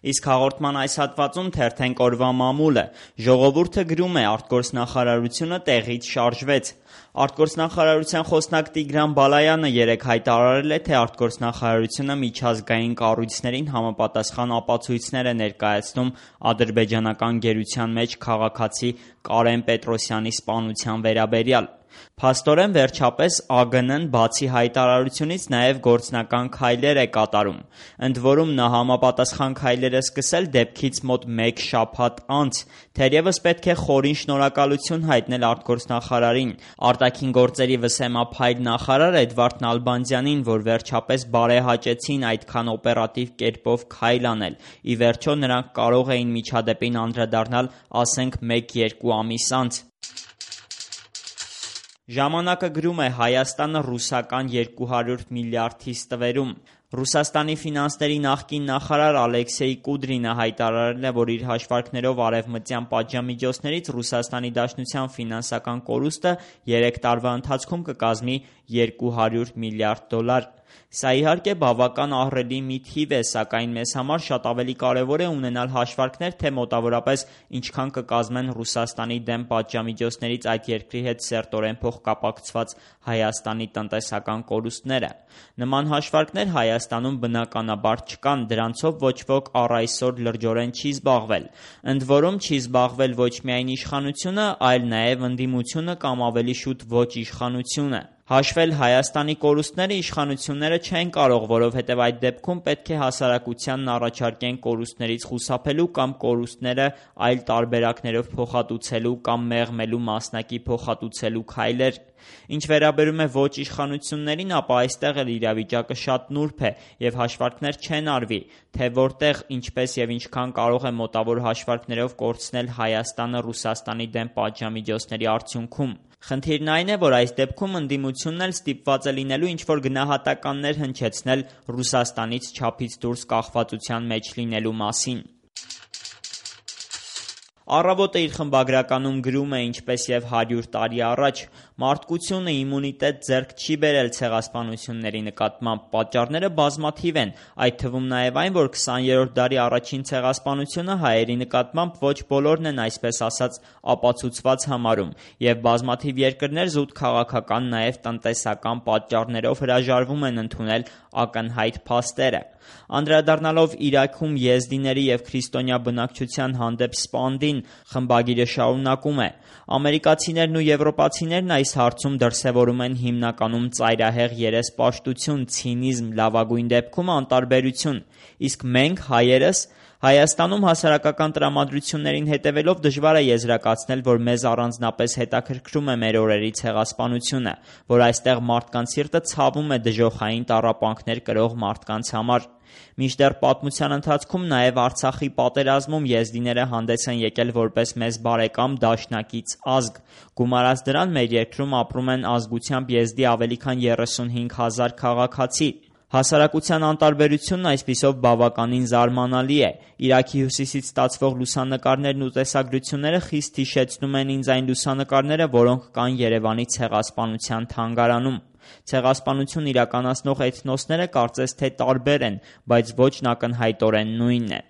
Իսկ հաղորդման այս հատվածում թերթենք օրվա մամուլը։ Ժողովուրդը գրում է՝ արտգործնախարարությունը տեղից շարժվեց։ Արտգործնախարարության խոսնակ Տիգրան Բալայանը երեկ հայտարարել է, թե արտգործնախարարությունը միջազգային կառույցներին համապատասխան ապացույցներ է ներկայացնում ադրբեջանական գերության մեջ քաղաքացի Կարեն Պետրոսյանի սպանության վերաբերյալ։ Փաստորեն, վերջապես ԱԳՆ-ն բացի հայտարարությունից նաև գործնական քայլեր է կատարում։ Ընդ որում նա համապատասխան քայլեր է սկսել դեպքից մոտ մեկ շաբաթ անց։ Թերևս պետք է խորին շնորհակալություն հայտնել արտգործնախարարին, արտաքին գործերի վսեմափայլ նախարար Էդվարդ Նալբանդյանին, որ վերջապես բարեհաճեցին այդքան օպերատիվ կերպով քայլ անել։ Ի վերջո նրանք կարող էին միջադեպին անդրադառնալ, ասենք, 1-2 ամիս անց։ Ժամանակը գրում է՝ Հայաստանը ռուսական 200 միլիարդի ստվերում։ Ռուսաստանի ֆինանսների նախկին նախարար Ալեքսեյ Կուդրինը հայտարարել է, որ իր հաշվարկներով արևմտյան պատժամիջոցներից Ռուսաստանի Դաշնության ֆինանսական կորուստը 3 տարվա ընթացքում կկազմի 200 միլիարդ դոլար։ Սա իհարկե բավական ահռելի մի թիվ է, սակայն մեզ համար շատ ավելի կարևոր է ունենալ հաշվարկներ, թե մոտավորապես ինչքան կկազմեն Ռուսաստանի դեմ պատժամիջոցներից այդ երկրի հետ սերտորեն փոխկապակցված Հայաստանի տնտեսական կորուստները։ Նման հաշվարկներ Հայաստանում բնականաբար չկան, դրանցով ոչ ոք առ այսօր լրջորեն չի զբաղվել։ Ընդ որում չի զբաղվել ոչ միայն իշխանությունը, այլ նաև ընդդիմությունը կամ ավելի շուտ ոչ իշխանությունը։ Հաշվել Հայաստանի կորուստները իշխանությունները չեն կարող, որովհետև այդ դեպքում պետք է հասարակությանն առաջարկեն կորուստներից խուսափելու կամ կորուստները այլ տարբերակներով փոխհատուցելու կամ մեղմելու մասնակի փոխհատուցելու քայլեր։ Ինչ վերաբերում է ոչ իշխանություններին, ապա այստեղ էլ իրավիճակը շատ նուրբ է և հաշվարկներ չեն արվի, թե որտեղ, ինչպես և ինչքան կարող է մոտավոր հաշվարկներով կորցնել Հայաստանը Ռուսաստանի դեմ պատժամիջոցների արդյունքում։ Խնդիրն այն է, որ այս դեպքում ընդդիմությունն էլ ստիպված է լինելու ինչ-որ գնահատականներ հնչեցնել Ռուսաստանից չափից դուրս կախվածության մեջ լինելու մասին։ Առավոտը իր խմբագրականում գրում է, ինչպես և 100 տարի առաջ, մարդկությունը իմունիտետ ձեռք չի բերել ցեղասպանությունների նկատմամբ։ Պատճառները բազմաթիվ են, այդ թվում նաև այն, որ 20-րդ դարի առաջին ցեղասպանությունը հայերի նկատմամբ ոչ բոլորն են, այսպես ասած, ապացուցված համարում, և բազմաթիվ երկրներ զուտ քաղաքական, նաև տնտեսական պատճառներով հրաժարվում են ընդունել ակնհայտ փաստերը։ Անդրադառնալով Իրաքում եզդիների և քրիստոնյա բնակչության հանդեպ սպանդին, խմբագիրը շարունակում է. ամերիկացիներն ու եվրոպացիներն այս հարցում դրսևորում են հիմնականում ծայրահեղ երեսպաշտություն, ցինիզմ, լավագույն դեպքում անտարբերություն, իսկ մենք՝ հայերս, Հայաստանում հասարակական տրամադրություններին հետևելով դժվար է եզրակացնել, որ մեզ առանձնապես հետաքրքրում է մեր օրերի ցեղասպանությունը, որ այստեղ մարդկանց սիրտը ցավում է դժոխային տառապանքներ կրող մարդկանց համար։ Մինչդեռ պատմության ընթացքում նաև Արցախի պատերազմում եզդիները հանդես են եկել որպես մեզ բարեկամ դաշնակից ազգ։ Գումարած դրան, մեր երկրում ապրում են ազգությամբ եզդի ավելի քան 35,000 քաղաքացի։ Հասարակության անտարբերությունն այսպիսով բավականին զարմանալի է։ Իրաքի հյուսիսից ստացվող լուսանկարներն ու տեսագրությունները խիստ հիշեցնում են ինձ այն լուսանկարները, որոնք կան Երևանի ցեղասպանության թանգարանում։ Ցեղասպանություն իրականացնող էթնոսները կարծես թե տարբեր են, բայց ոճն ակնհայտորեն նույնն է։